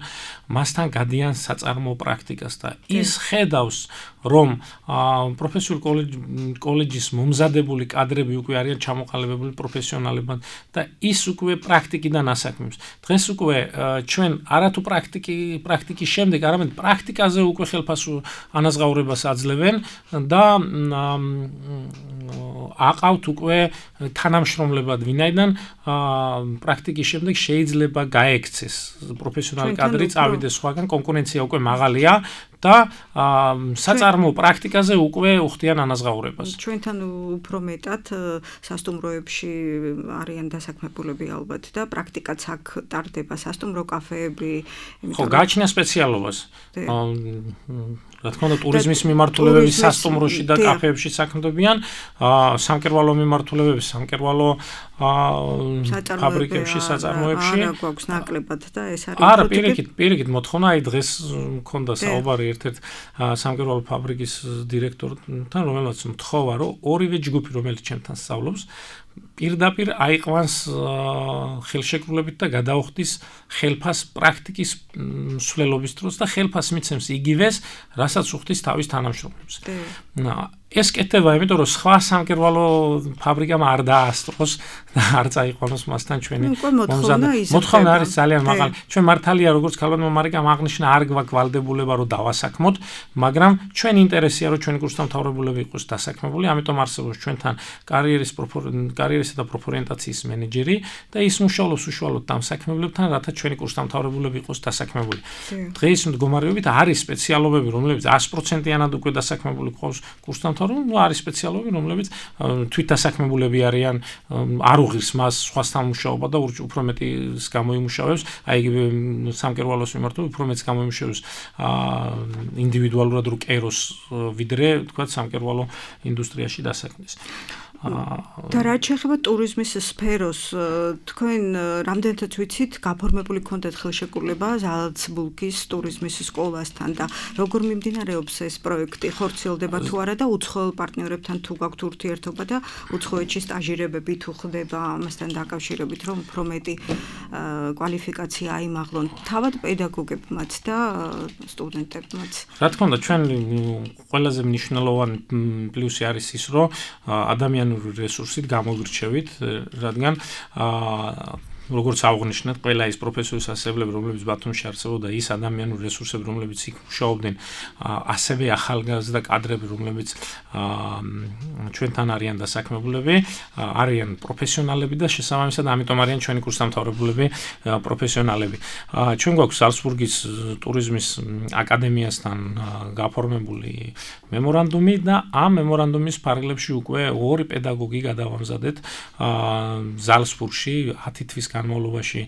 მასთან გადიან საწარმოო პრაქტიკას და ის ხედავს, რომ პროფესიული კოლეჯის მომზადებული კადრები უკვე არიან ჩამოყალიბებული პროფესიონალებად და ის უკვე პრაქტიკიდან ასაქმებს. დღეს უკვე ჩვენ არათუ პრაქტიკი პრაქტიკის შემდეგ, არამედ პრაქტიკაზე უკვე ხელფასო ანაზღაურებას აძლევენ და აყავთ უკვე თანამშრომლებად, ვინაიდან პრაქტიკის შემდეგ შეიძლება გაექცეს პროფესიონალი კადრი, წავიდეს სხვაგან, კონკურენცია უკვე მაღალია და საწარმოო პრაქტიკაზე უკვე უხდიან ანაზღაურებას. ჩვენთან უფრო მეტად სასტუმროებში არიან დასაქმებულები ალბათ და პრაქტიკაც აქ ტარდება, სასტუმრო კაფეები, ხო, გააჩნია სპეციალობას. რა თქმა უნდა, ტურიზმის მიმართულებები სასტუმროში და კაფეებში საქმდებიან, სამკერვალო მიმართულებები სამკერვალო ფაბრიკებში, საწარმოებში. არა გვაქვს ნაკლებად და ეს არის არა, პირიქით, პირიქით მოთხოვნა, აი დღეს მქონდა საუბარი ერთ-ერთ სამკერვალო ფაბრიკის დირექტორთან, რომელმაც მთხოვა, რომ ორივე ჯგუფი, რომელიც ჩემთან სწავლობს, პირდაპირ აიყვანს ხელშეკრულებით და გადაუხდის ხელფას პრაქტიკის მსვლელობის დროს და ხელფას მიცემს იგივეს, რასაც უხდის თავის თანამშრომლებს. ეს კეთდება, იმიტომ რომ სხვა სამკერვალო ფაბრიკამ არ დაასწროს და არ წაიყვანოს მასთან ჩვენი მომზადება. მოთხოვნა არის ძალიან მაღალი. ჩვენ მართალია როგორც ქალბატონმა მარიკამ აღნიშნა, არ გვაქვს ვალდებულება რომ დავასაქმოთ, მაგრამ ჩვენი ინტერესია რომ ჩვენი კურსდამთავრებულები იყოს დასაქმებული, ამიტომ არსებობს ჩვენთან კარიერის კარიერისა და პროფორიენტაციის მენეჯერი და ის მუშაობს უშუალოდ დამსაქმებლებთან, რათა ჩვენი კურსდამთავრებულები იყოს დასაქმებული. დღეს მდგომარეობით არის სპეციალობები, რომლებიც sto პროცენტიანად უკვე დასაქმებული ყავს კურსდამთავრებულებს, რომ არის სპეციალობები, რომლებიც თვითდასაქმებულები არიან, არ უღირს მას სხვასთან მუშაობა და უფრო მეტის გამოიმუშავებს, აი იგივე სამკერვალოს მიმართულებით უფრო მეტს გამოიმუშავებს ინდივიდუალურად რო კეროს ვიდრე, თქვა სამკერვალო ინდუსტრიაში დასაქმდეს. და რაც შეეხება ტურიზმის სფეროს, თქვენ რამდენადაც ვიცით, გაფორმებული ქონდათ ხელშეკრულება ზალცბურგის ტურიზმის სკოლასთან და როგორ მიმდინარეობს ეს პროექტი, ხორციელდება თუ არა და უცხოელ პარტნიორებთან თუ გაქვთ ურთიერთობა და უცხოეთში სტაჟირებები თუ ხდება ამასთან დაკავშირებით, რომ უფრო მეტი კვალიფიკაცია აიმაღლონ თავად პედაგოგებმაც და სტუდენტებმაც. რა თქმა უნდა, ჩვენ ყველაზე მნიშვნელოვანი პლუსი არის ის, რომ ადამიანური რესურსით გამოგვირჩევით, რადგან როგორც აღნიშნეთ, ყველა ის პროფესიის ასწავლებლები, რომლებიც ბათუმში არსებობდა, ის ადამიანური რესურსები, რომლებიც იქ მუშაობდნენ, ასევე ახალგაზრდა კადრები, რომლებიც ჩვენთან არიან დასაქმებულები, არიან პროფესიონალები და შესაბამისად ამიტომ არიან ჩვენი კურსდამთავრებულები პროფესიონალები. ჩვენ გვაქვს ზალცბურგის ტურიზმის აკადემიასთან გაფორმებული მემორანდუმი და ამ მემორანდუმის ფარგლებში უკვე ორი პედაგოგი გადავამზადეთ ზალცბურგში ათი თვის განმავლობაში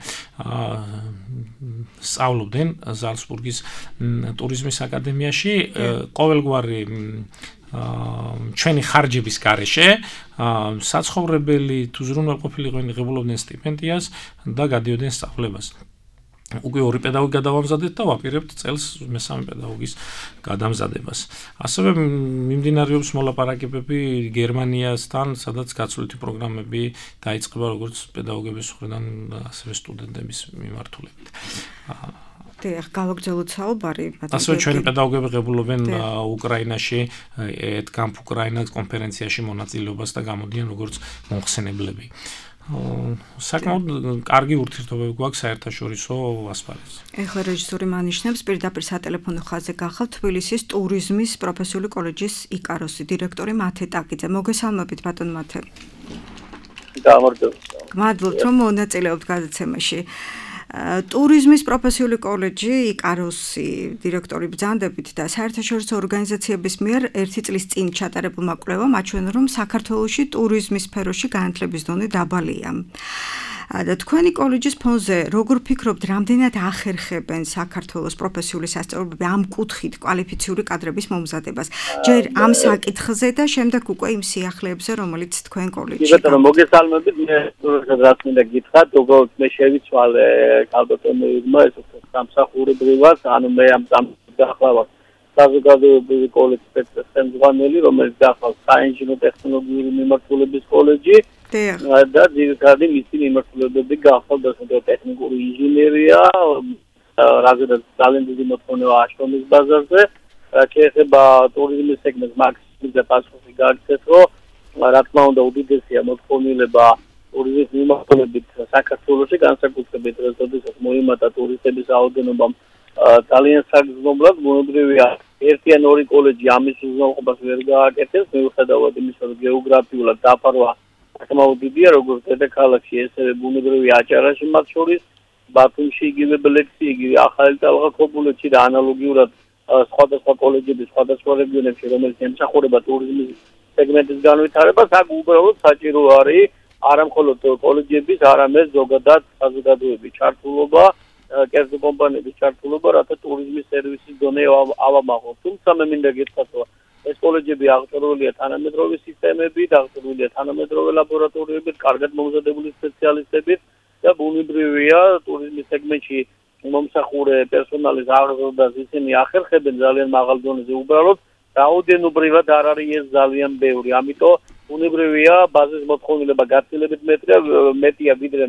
სწავლობდნენ ზალცბურგის ტურიზმის აკადემიაში, ყოველგვარი ჩვენი ხარჯების გარეშე საცხოვრებელი თუ ზრუნველყოფილიყო ღებულობდნენ სტიპენდიას და გადიოდნენ სწავლებას. უკვე ორი პედაგოგი გადავამზადეთ და ვაპირებთ წელს მესამე პედაგოგის გადამზადებას. ასევე მიმდინარეობს მოლაპარაკებები გერმანიასთან, სადაც გაცვლითი პროგრამები დაიწყება როგორც პედაგოგების მხრიდან, ასევე სტუდენტების მიმართულებით. დიახ, გავაგრძელოთ საუბარი. ასევე ჩვენი პედაგოგები ღებულობენ უკრაინაში, ედკამპ უკრაინა კონფერენციაში მონაწილეობას და გამოდიან როგორც მომხსენებლები. საკმაოდ კარგი ურთიერთობები გვაქვს საერთაშორისო ასპარეზზე. ეხლა რეჟისორი მანიშნებს პირდაპირ სატელეფონო ხაზზე გახალთ თბილისის ტურიზმის პროფესიული კოლეჯის იკაროსი დირექტორი მათე ტაკიძე. მოგესალმებით ბატონ მათე. მადლობთ რომ მონაწილეობთ გადაცემაში. ტურიზმის პროფესიული კოლეჯი იკაროსი დირექტორი ბრძანდებით და საერთაშორისო ორგანიზაციების მიერ ერთი წლის წინ ჩატარებულმა კვლევამ აჩვენა, რომ საქართველოში ტურიზმის სფეროში განათლების დონე დაბალია. და თქვენი კოლეჯის ფონზე როგორ ფიქრობთ, რამდენად ახერხებენ საქართველოს პროფესიული სასწავლებლები ამ კუთხით კვალიფიციური კადრების მომზადებას? ჯერ ამ საკითხზე და შემდეგ უკვე იმ სიახლეებზე, რომელიც თქვენ კოლეჯში. ბატონო, მოგესალმებით, მე რაც მინდა გითხრათ, უბრალოდ მე შევიცვალე კალბატონებმა ეს სამსახურებრივად, ანუ მე ამ სამსახურებრივად საზოგადოებრივი კოლეჯის სპეცსემძღვანელი, რომელიც გახლავს საინჟინრო ტექნოლოგიური მიმართულების კოლეჯი. და ძირითადი მისი მიმართულებები გახლავთ დასავლეთ ტექნიკური ინჟინერია, რაღაცა ძალიან დიდი მოთხოვნა აშრომის ბაზარზე, რაც შეეხება ტურიზმის სეგმენტს მაქსიმალიზდა პასუხი გაიქცეთ, რომ რა თქმა უნდა უდიდესია მოთხოვნილება ტურიზმის მიმართულებით საქართველოში, განსაკუთრებით როდესაც მოიმატა ტურისტების რაოდენობამ ძალიან საგრძნობლად, ბუნებრივია ერთი ან ორი კოლეჯი ამის უზრუნველყოფას ვერ გააკეთებს, მიუხედავად იმისა, რომ გეოგრაფიულად დაფარვა საკმაოდ დიდია, როგორც დედაქალაქში, ესევე ბუნებრივი აჭარაში მათ შორის, ბათუმში იგივე ბლექსი, იგივე ახალი ტალღა ქობულეთში და ანალოგიურად სხვადასხვა კოლეჯების სხვადასხვა რეგიონებში, რომელიც ემსახურება ტურიზმის სეგმენტის განვითარებას, აქ უბრალოდ საჭირო არის არა მხოლოდ კოლეჯების, არამედ ზოგადად საზოგადოების ჩართულობა, კერძო კომპანიების ჩართულობა, რათა ტურიზმის სერვისის დონე ავამაღლოთ. თუმცა მე მინდა გითხრათ, რომ ეს კოლეჯები აღჭურვილია თანამედროვე სისტემებით, აღჭურვილია თანამედროვე ლაბორატორიებით, კარგად მომზადებული სპეციალისტებით და ბუნებრივია ტურიზმის სეგმენტში მომსახურე პერსონალის აღზრდას ისინი ახერხებენ ძალიან მაღალ დონეზე, უბრალოდ რაოდენობრივად არ არის ეს ძალიან ბევრი. ამიტომ უნებრივია ბაზის მოთხოვნილება გაცილებით მეტია მეტია ვიდრე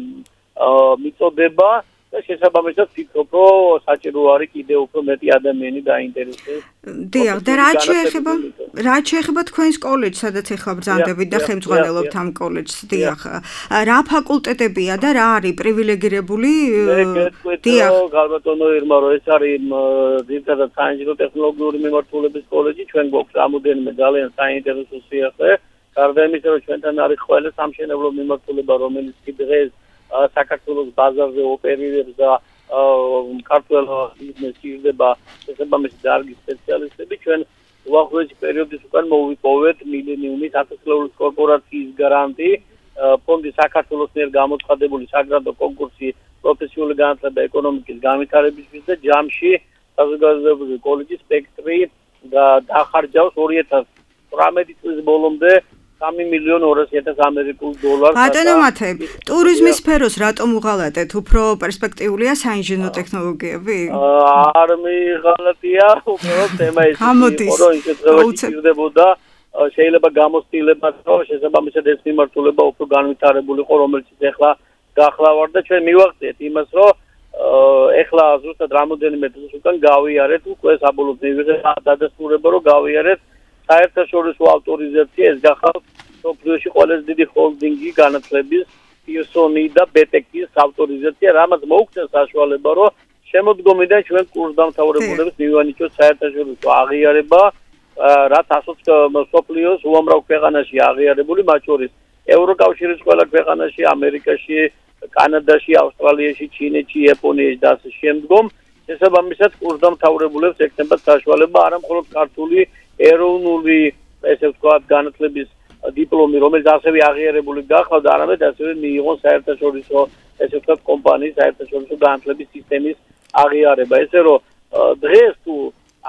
მიწოდება და შესაბამისად ვფიქრობ, რომ საჭირო არის კიდევ უფრო მეტი ადამიანი დაინტერესდეს. დიახ, და რა შეეხება რა შეეხება თქვენს კოლეჯს, სადაც ახლა ბრძანდებით და ხელმძღვანელობთ ამ კოლეჯს, დიახ. რა ფაკულტეტებია და რა არის პრივილეგირებული? დიახ, გალბატონო ირმა, რომ ეს არის ძირითადად საინჟინრო ტექნოლოგიური მიმართულების კოლეჯი, ჩვენ გვაქვს რამოდენიმე ძალიან საინტერესო სიახლე. გარდა იმისა, რომ ჩვენთან არის ყველა სამშენებლო მიმართულება, რომელიც დღეს საქართველოს ბაზარზე ოპერირებს და ქართულ ბიზნესს ჭირდება შესაბამისი დარგის სპეციალისტები. ჩვენ უახლოესი პერიოდის უკან მოვიპოვეთ მილენიუმის ათასწლეულის კორპორაციის გრანტი, ფონდი საქართველოს მიერ გამოცხადებული საგრანტო კონკურსი პროფესიული განათლება ეკონომიკის განვითარებისთვის და ჯამში საზოგადოებრივი კოლეჯის სპექტრი დახარჯავს ორი ათას თვრამეტი წლის ბოლომდე სამი მილიონი ორასი ათასი ამერიკულ დოლარს. ბატონო მათე, ტურიზმის სფეროს რატომ უღალატეთ? უფრო პერსპექტიულია საინჟინრო ტექნოლოგიები? არ მიღალატია, უბრალოდ თემა ის იყო, რომ ის დღეებში ჭირდებოდა შეიძლება გამოცდილება, რომ შესაბამისად ეს მიმართულება უფრო განვითარებულიყო, რომელიც ეხლა გახლავარ და ჩვენ მივახციეთ იმას, რომ ეხლა ზუსტად რამოდენიმე დღის უკან გავიარეთ უკვე საბოლოოდ მივიღეთ დადასტურება, რომ გავიარეთ საერთაშორისო ავტორიზაცია, ეს გახავთ სოფლიოში ყველაზე დიდი ჰოლდინგი განათლების პირსონი და ბეტეკის ავტორიზაცია, რამაც მოუხდა საშუალება, რომ შემოდგომიდან ჩვენ კურსდამთავრებულებს მივანიჭოთ საერთაშორისო აღიარება, რაც ასოც სოფლიოს უამრავ ქვეყანაში აღიარებული, მათ შორის ევროკავშირის ყველა ქვეყანაში, ამერიკაში, კანადაში, ავსტრალიაში, ჩინეთში, იაპონიაში და ასე შემდგომ. შესაბამისად კურსდამთავრებულებს ექნებათ საშუალება არა მხოლოდ ქართული ეროვნული ესე ვთქვათ განათლების დიპლომი, რომელიც ასევე აღიარებული გახლავთ, არამედ ასევე მიიღონ საერთაშორისო ესე ვთქვათ კომპანიის საერთაშორისო განათლების სისტემის აღიარება. ესე რომ დღეს თუ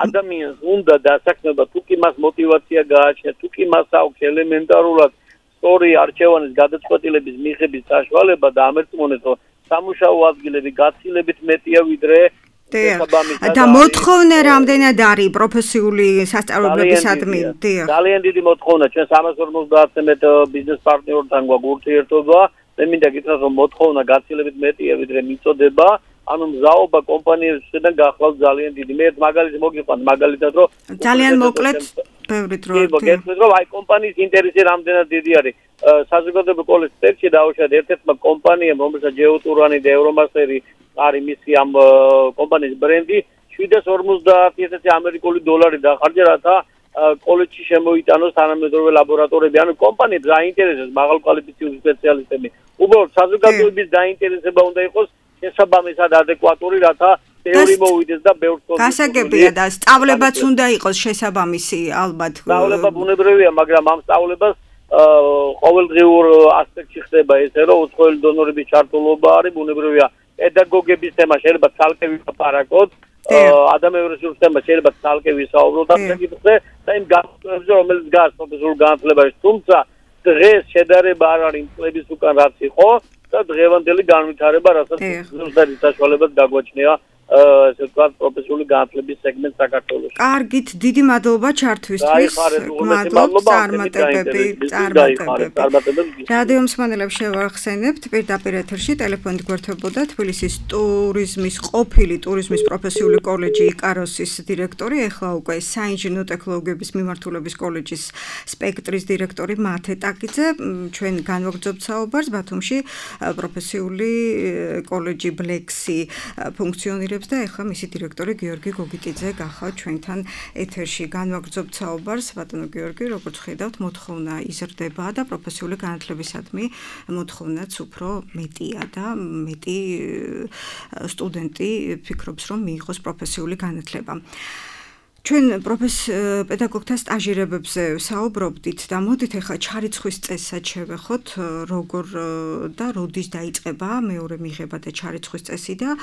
ადამიანს უნდა დასაქმება, თუ კი მას мотиваცია გააჩნია, თუ კი მას აქვს ელემენტარულად სწორი არჩევანის გადაწყვეტილების მიღების საშუალება და ამერწმუნეთ, რომ სამუშაო ადგილები გაცილებით მეტია ვიდრე და მოთხოვნა რამდენად არის პროფესიული სასწავლებლებისადმი? ძალიან დიდი მოთხოვნა. ჩვენ სამას ორმოცდაათზე მეტ ბიზნეს პარტნიორთან გვაქვს ურთიერთობა. მე მინდა გითხრათ, რომ მოთხოვნა გაცილებით მეტია ვიდრე მიწოდება. ანუ მზაობა კომპანიებისგან გახლავთ ძალიან დიდი. მე ერთ მაგალითს მოგიყვანთ, მაგალითად რომ ძალიან მოკლედ ბევრი დრო. მოგეთქვით, რომ აი კომპანიის ინტერესი რამდენად დიდი არის. საზოგადოებრივი კოლეჯის სპექტრი დაუშვათ ერთ-ერთმა კომპანიამ, რომელსაც ჯეოტურანი და ევრომასტერი არის მისი ამ კომპანიის ბრენდი, შვიდას ორმოცდაათი ათასი ამერიკული დოლარი დახარჯა, რათა კოლეჯში შემოიტანოს თანამედროვე ლაბორატორიები. ანუ კომპანიებს აინტერესებს მაღალკვალიფიციური სპეციალისტები. უბრალოდ საზოგადოების დაინტერესება უნდა იყოს შესაბამისად ადეკვატური, რათა ბევრი მოვიდეს და ბევრ თქოს. გასაგებია და სწავლებაც უნდა იყოს შესაბამისი, ალბათ. სწავლება ბუნებრივია, მაგრამ ამ სწავლებას ყოველდღიურ ასპექტში ხდება ესე, რომ უცხოელი დონორების ჩართულობა არის, ბუნებრივია პედაგოგების თემა შეიძლება ცალკე ვილაპარაკოთ, ადამიანურ რესურსების თემა შეიძლება ცალკე ვისაუბროთ ამ საკითხზე და იმ განსხვავებებზე, რომელიც გას პროფესიულ განათლებაში, თუმცა დღეს შედარება არ არის წლების უკან რაც იყო და დღევანდელი განვითარება, რასაც ზუსტად საშუალებას გაგვაჩნია ესე ვთქვათ პროფესიული განათლების სეგმენტ საქართველოში. კარგით, დიდი მადლობა ჩართვისთვის. მადლობა წარმატებები, წარმატებები. რადიო მსმენელებს შევახსენებთ, პირდაპირ ეთერში ტელეფონით გვერდებოდა თბილისის ტურიზმის ყოფილი ტურიზმის პროფესიული კოლეჯი იკაროსის დირექტორი, ახლა უკვე საინჟინრო ტექნოლოგიების მიმართულების კოლეჯის სპექტრის დირექტორი მათე ტაკიძე. ჩვენ განვაგრძობთ საუბარს ბათუმში პროფესიული კოლეჯი ბლექსი ფუნქციონირებს და ახლა მისი დირექტორი გიორგი გოგიტიძე გახავთ ჩვენთან ეთერში. განვაგრძობთ საუბარს, ბატონო გიორგი, როგორც ხედავთ, მოთხოვნა იზრდება და პროფესიული განათლებისადმი მოთხოვნაც უფრო მეტია და მეტი სტუდენტი ფიქრობს, რომ მიიღოს პროფესიული განათლება. ჩვენ პედაგოგთა სტაჟირებებზე საუბრობდით და მოდით ახლა ჩარიცხვის წესსაც შევეხოთ, როგორ და როდის დაიწყება მეორე მიღება და ჩარიცხვის წესი და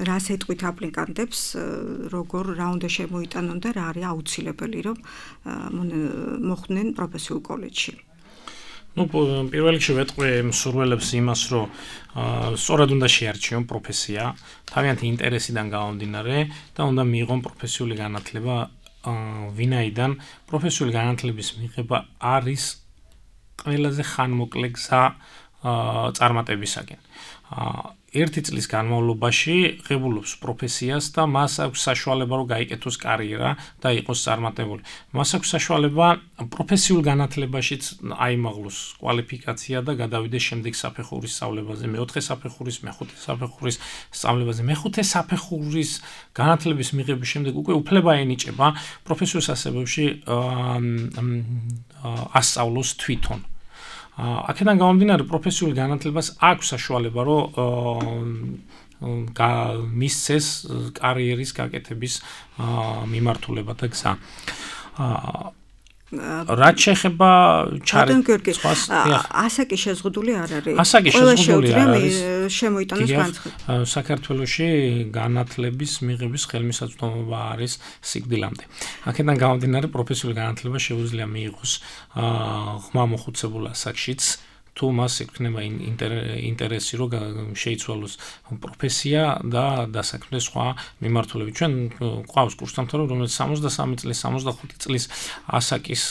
რას ეტყვით აპლიკანტებს, როგორ რა უნდა შემოიტანონ და რა არის აუცილებელი, რომ მოხვდნენ პროფესიულ კოლეჯში. Ну, პირველ რიგში ვეტყვი მსურველებს იმას, რომ სწორად უნდა შეარჩიონ პროფესია, თავიანთი ინტერესიდან გამომდინარე და უნდა მიიღონ პროფესიული განათლება ვინაიდან პროფესიული განათლების მიღება არის ყველაზე ხანმოკლე გზა წარმატებისაკენ. ერთი წლის განმავლობაში ღებულობს პროფესიას და მას აქვს საშუალება რომ გაიკეთოს კარიერა და იყოს წარმატებული. მას აქვს საშუალება პროფესიულ განათლებაშიც აიმაღლოს კვალიფიკაცია და გადავიდეს შემდეგ საფეხურის სწავლებაზე, მეოთხე საფეხურის, მეხუთე საფეხურის სწავლებაზე. მეხუთე საფეხურის განათლების მიღების შემდეგ უკვე უფლება ენიჭება პროფესიულ სასწავლებლებში ასწავლოს თვითონ. აქედან გამომდინარე პროფესიული განათლებას აქვს საშუალება რომ მისცეს კარიერის გაკეთების მიმართულება და გზა. რაც შეეხება ჩარეკ ასაკი შეზღუდული არ არის. ასაკი შეზღუდული არ არის. შემოიტანოს განცხადება. საქართველოში განათლების მიღების ხელმისაწვდომობა არის სიკვდილამდე. აქედან გამომდინარე პროფესიული განათლება შეუძლია მიიღოს ღრმა მოხუცებულ ასაკშიც თუ მას ექნება ინტერესი რომ შეიცვალოს პროფესია და დასაქმდეს სხვა მიმართულებით. ჩვენ ყავს კურსდამთავრებული რომელიც სამოცდასამი წლის, სამოცდახუთი წლის ასაკის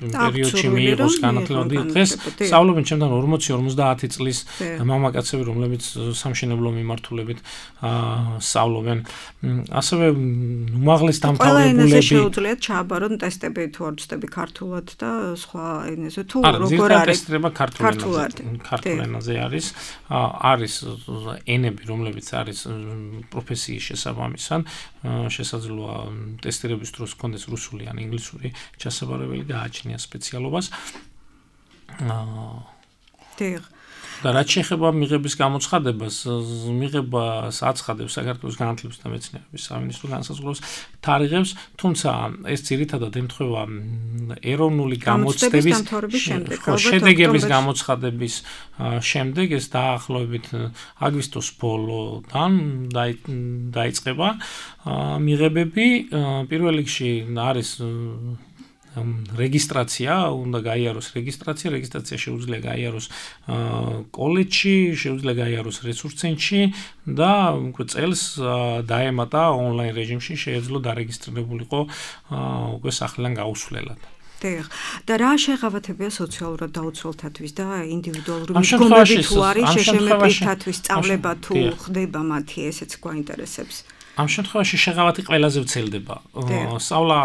პერიოდში მიიღოს განათლება. დღეს სწავლობენ ჩემთან ორმოცი ორმოცდაათი წლის მამაკაცები რომლებიც სამშენებლო მიმართულებით სწავლობენ. ასევე უმაღლეს დამთავრებულები ყველა ენაზე შეუძლიათ ჩააბარონ ტესტები თუ არ ვწდები ქართულად და სხვა ენაზე თუ როგორ არის ტესტება ქართულ ენაზე. ქართულ ენაზე არის არის ენები რომლებიც არის პროფესიის შესაბამისად შესაძლოა ტესტირების დროს კონდეს რუსული ან ინგლისური ჩასაბარებელი გააჩნია სპეციალობას. დიახ. და რაც შეეხება მიღების გამოცხადებას, მიღებას აცხადებს საქართველოს განათლების და მეცნიერების სამინისტრო განსაზღვრავს თარიღებს, თუმცა ეს ძირითადად ემთხვევა ეროვნული გამოცდების შედეგების გამოცხადების შემდეგ, ეს დაახლოებით აგვისტოს ბოლოდან დაიწყება მიღებები. პირველ რიგში არის რეგისტრაცია, უნდა გაიაროს რეგისტრაცია, რეგისტრაცია შეუძლია გაიაროს კოლეჯში, შეუძლია გაიაროს რესურს ცენტრში და უკვე წელს დაემატა ონლაინ რეჟიმში შეეძლო დარეგისტრირებულიყო უკვე სახლიდან გაუსვლელად. დიახ. და რა შეღავათებია სოციალურად დაუცველთათვის და ინდივიდუალური მიდგომები თუ არის შეშემეპირთათვის სწავლება თუ ხდება მათი, ესეც გვაინტერესებს. ამ შემთხვევაში შეღავათი ყველაზე ვრცელდება. სწავლა,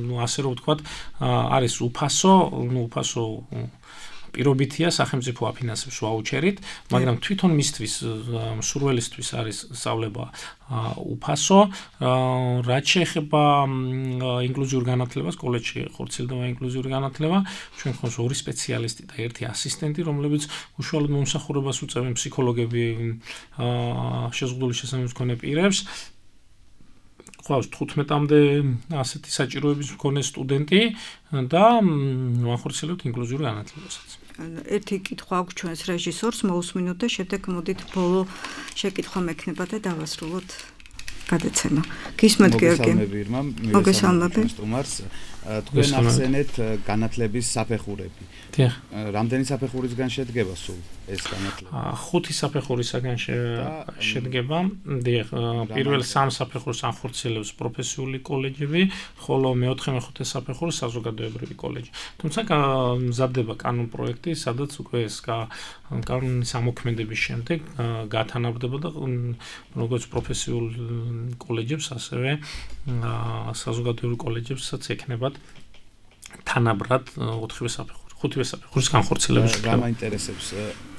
ну, ასე რომ ვთქვათ, არის უფასო, ну, უფასო პირობითია, სახელმწიფო აფინანსებს ვაუჩერით, მაგრამ თვითონ მისთვის მსურველისთვის არის სწავლება უფასო. რაც შეეხება ინკლუზიურ განათლებას, კოლეჯში ხორციელდება ინკლუზიური განათლება, ჩვენ გვყავს ორი სპეციალისტი და ერთი ასისტენტი, რომლებიც უშუალოდ მომსახურებას უწევენ ფსიქოლოგები შეზღუდული შესაძლებლობის მქონე პირებს. გვყავს თხუთმეტამდე ასეთი საჭიროების მქონე სტუდენტი და ვახორციელებთ ინკლუზიურ განათლებასაც. ერთი კითხვა აქვს ჩვენს რეჟისორს, მოусმინოთ და შემდეგ მოდით ბოლო შეკითხვა მექნება და დავასრულოთ გადაცემა. გისმენთ გიორგი. მოგესალმები. სტუმარს თქვენ ახსენეთ განათლების საფეხურები. დიახ. რამდენი საფეხურისგან შედგება სულ ეს განათლება? ხუთი საფეხურისგან შედგება. დიახ, პირველ სამ საფეხურს ახორციელებს პროფესიული კოლეჯები, ხოლო მეოთხე მეხუთე საფეხურს საზოგადოებრივი კოლეჯი. თუმცა მზადდება კანონ პროექტი, სადაც უკვე ეს კანონის ამოქმედების შემდეგ გათანაბრდება და როგორც პროფესიულ კოლეჯებს, ასევე საზოგადოებრივ კოლეჯებსაც ექნებათ თანაბრად ოთხივე საფეხური. ხუთივე საფეხურის განხორციელების რა მაინტერესებს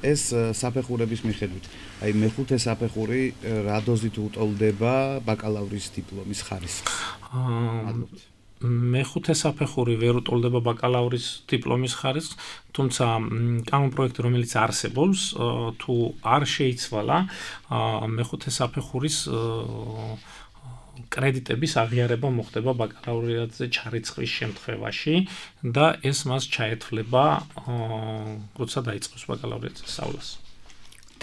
ეს საფეხურების მიხედვით. აი მეხუთე საფეხური რა დოზით უტოლდება ბაკალავრის დიპლომის ხარისხს? მეხუთე საფეხური ვერ უტოლდება ბაკალავრის დიპლომის ხარისხს, თუმცა კანონ პროექტი რომელიც არსებობს, თუ არ შეიცვალა მეხუთე საფეხურის კრედიტების აღიარება მოხდება ბაკალავრიატზე ჩარიცხვის შემთხვევაში და ეს მას ჩაეთვლება, როცა დაიწყოს ბაკალავრიატის სწავლას.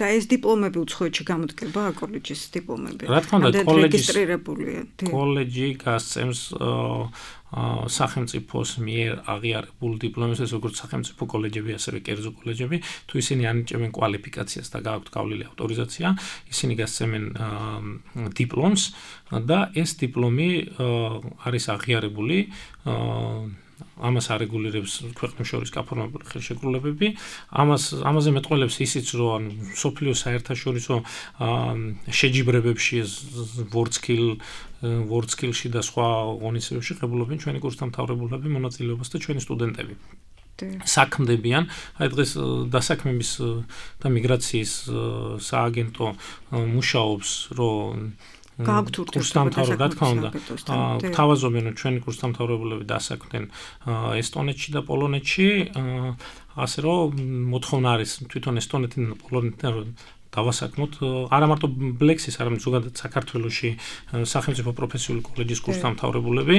და ეს დიპლომები უცხოეთში გამოდგება კოლეჯის დიპლომები. რა თქმა უნდა, კოლეჯის რეგისტრირებულია. კოლეჯი გასცემს სახელმწიფოს მიერ აღიარებულ დიპლომებს, როგორც სახელმწიფო კოლეჯები, ასევე კერძო კოლეჯები, თუ ისინი ანიჭებენ კვალიფიკაციას და გააქვთ გავლილი ავტორიზაცია, ისინი გასცემენ დიპლომს და ეს დიპლომი არის აღიარებული ამას არეგულირებს ქვეყნებს შორის გაფორმებული ხელშეკრულებები. ამას ამაზე მეტყველებს ისიც, რომ სოფლიო საერთაშორისო შეჯიბრებებში ვორცქილ ვორცქილში და სხვა ღონისძიებებში ღებულობენ ჩვენი კურსდამთავრებულები მონაწილეობას და ჩვენი სტუდენტები. საქმდებიან, აი დღეს დასაქმების და მიგრაციის სააგენტო მუშაობს, რომ კურსდამთავრებულები, რა თქმა უნდა, თავაზობენ, რომ ჩვენი კურსდამთავრებულები დასაქმდნენ ესტონეთში და პოლონეთში, ასე რომ მოთხოვნა არის თვითონ ესტონეთიდან და პოლონეთიდან დავასაქმოთ არა მარტო ბლექსის, არამედ ზოგადად საქართველოში სახელმწიფო პროფესიული კოლეჯის კურსდამთავრებულები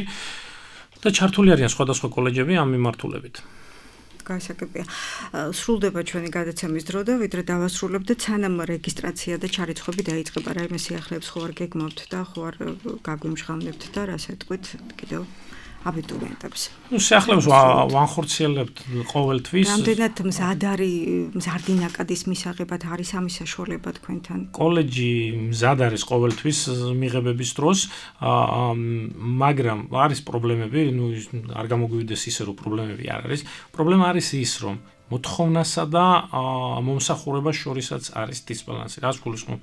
და ჩართული არიან სხვადასხვა კოლეჯები ამ მიმართულებით. გასაგებია. სრულდება ჩვენი გადაცემის დრო და ვიდრე დავასრულებთ და სანამ რეგისტრაცია და ჩარიცხვები დაიწყება, რაიმე სიახლეებს ხო არ გეგმავთ და ხო არ გაგვიმჟღავნებთ და რას ეტყვით კიდევ აბიტურიენტებს. ნუ სიახლეებს ვანხორციელებთ ყოველთვის. რამდენად მზად არის მზარდი ნაკადის მისაღებად არის ამის საშუალება თქვენთან? კოლეჯი მზად არის ყოველთვის მიღებების დროს, მაგრამ არის პრობლემები, ნუ არ გამოგვივიდეს ისე რომ პრობლემები არ არის. პრობლემა არის ის, რომ მოთხოვნასა და მომსახურებას შორისაც არის დისბალანსი. რას გულისხმობ?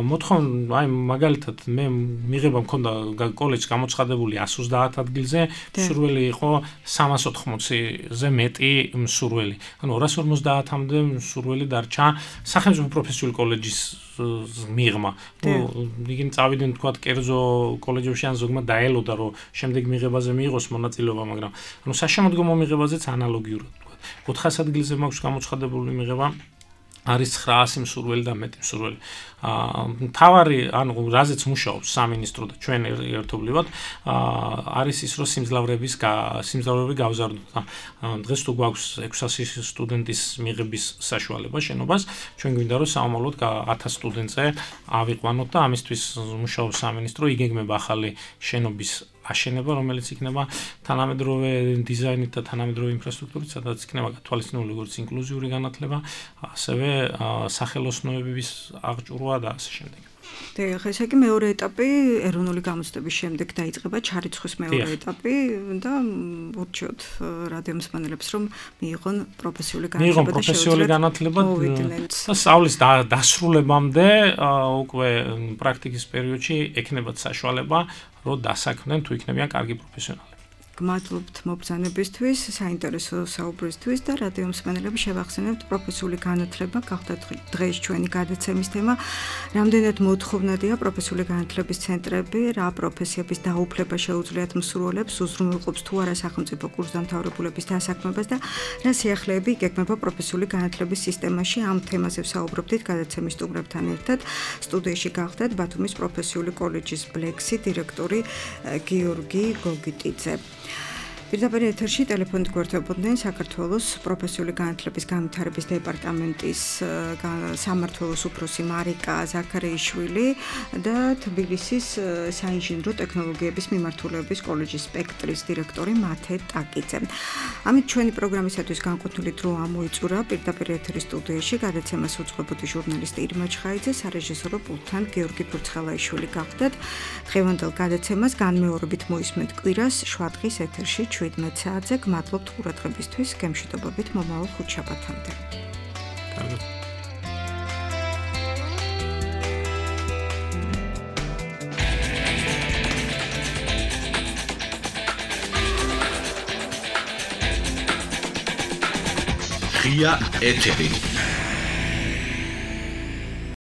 მოთხოვნა, აი მაგალითად მე მიღება მქონდა კოლეჯს გამოცხადებული εκατს ოცდაათ ადგილზე, მსურველი იყო სამას ოთხმოცზე მეტი მსურველი. ანუ ორას ორმოცდაათამდე მსურველი დარჩა სახელმწიფო პროფესიული კოლეჯის მიღმა. ნუ იგივე წავიდნენ თქვათ კერძო კოლეჯებში ან ზოგმა დაელოდა რომ შემდეგ მიღებაზე მიიღოს მონაწილეობა, მაგრამ ანუ საშემოდგომო მიღებაზეც ანალოგიურად ოთხას ადგილზე მაქვს გამოცხადებული მიღება არის ცხრაასი მსურველი და მეტი მსურველი. მთავარი, ანუ რაზეც მუშაობს სამინისტრო და ჩვენ ერთობლივად, არის ის, რომ სიმძლავრების სიმძლავრები გავზარდოთ. დღეს თუ გვაქვს ექვსასი სტუდენტის მიღების საშუალება შენობას, ჩვენ გვინდა რომ საომალოდ ათას სტუდენტზე ავიყვანოთ და ამისთვის მუშაობს სამინისტრო, იგეგმება ახალი შენობის აშენება, რომელიც იქნება თანამედროვე დიზაინით და თანამედროვე ინფრასტრუქტურით, სადაც იქნება გათვალისწინებული როგორც ინკლუზიური განათლება, ასევე სახელოსნოების აღჭურვა და ასე შემდეგ. და ხა ესე იგი მეორე ეტაპი ეროვნული გამოცდების შემდეგ დაიწყება ჩარიცხვის მეორე ეტაპი და ურჩიოთ რადიომსმენელებს რომ მიიღონ პროფესიული განათლება მიიღონ პროფესიული განათლება და სწავლის დასრულებამდე უკვე პრაქტიკის პერიოდში ექნებათ საშუალება რომ დასაქმდნენ თუ იქნებიან კარგი პროფესიონალი. გმადლობთ მობრძანებისთვის, საინტერესო საუბრისთვის და რადიომსმენელები შევახსენებთ პროფესიული განათლება გახდათ დღეს ჩვენი გადაცემის თემა. რამდენად მოთხოვნადია პროფესიული განათლების ცენტრები, რა პროფესიების დაუფლება შეუძლიათ მსურველებს, უზრუნველყოფს თუ არა სახელმწიფო კურსდამთავრებულების დასაქმებას და რა სიახლეები იგეგმება პროფესიული განათლების სისტემაში. ამ თემაზე ვსაუბრობდით გადაცემის სტუმრებთან ერთად. სტუდიაში გახდათ ბათუმის პროფესიული კოლეჯის ბლექსი დირექტორი გიორგი გოგიტიძე. პირდაპირ ეთერში ტელეფონით გვერდებოდნენ საქართველოს პროფესიული განათლების განვითარების დეპარტამენტის სამმართველოს უფროსი მარიკა ზაქარიაშვილი და თბილისის საინჟინრო ტექნოლოგიების მიმართულების კოლეჯის სპექტრის დირექტორი მათე ტაკიძე. ამით ჩვენი პროგრამისათვის განკუთვნილი დრო ამოიწურა. პირდაპირ ეთერის სტუდიაში გადაცემას უძღვებოდი ჟურნალისტი ირმა ჩხაიძე, სარეჟისორო პულტთან გიორგი ფურცხელაიშვილი გახდათ. დღევანდელ გადაცემას განმეორებით მოისმენთ კვირას შვადღის ეთერში შვიდმეტ საათზე. გმადლობთ ყურადღებისთვის, გემშვიდობებით მომავალ ხუთშაბათამდე. ღია ეთერი.